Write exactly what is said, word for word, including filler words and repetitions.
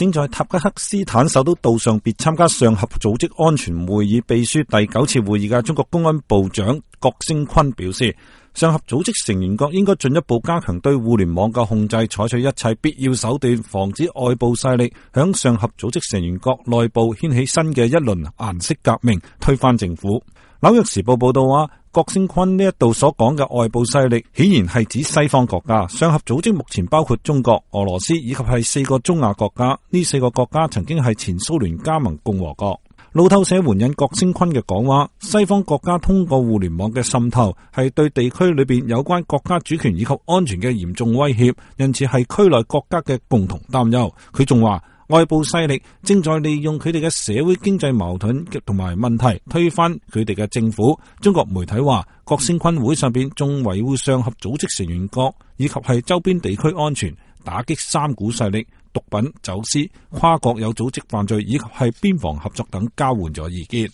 正在塔吉克斯坦首都杜尚別參加上合組織安全會議秘書第九次會議嘅中國公安部長郭聲琨表示，上合組織成員國應該進一步加強對互聯網嘅控制，採取一切必要手段，防止外部勢力響上合組織成員國內部掀起新嘅一輪顏色革命，推翻政府。紐約時報報道話，郭聲琨呢一度所講嘅外部勢力，顯然係指西方國家。上合組織目前包括中國、俄羅斯以及係四個中亞國家，呢四個國家曾經係前蘇聯加盟共和國。路透社援引郭聲琨嘅講話，西方國家通過互聯網嘅滲透，係對地區裏邊有關國家主權以及安全嘅嚴重威脅，因此係區內國家嘅共同擔憂。佢仲話，外部勢力正在利用佢哋嘅社會經濟矛盾同埋問題推翻佢哋嘅政府。中國媒體話，郭聲琨會上邊仲維護上合組織成員國以及係周邊地區安全，打擊三股勢力、毒品、走私、跨國有組織犯罪以及係邊防合作等交換咗意見。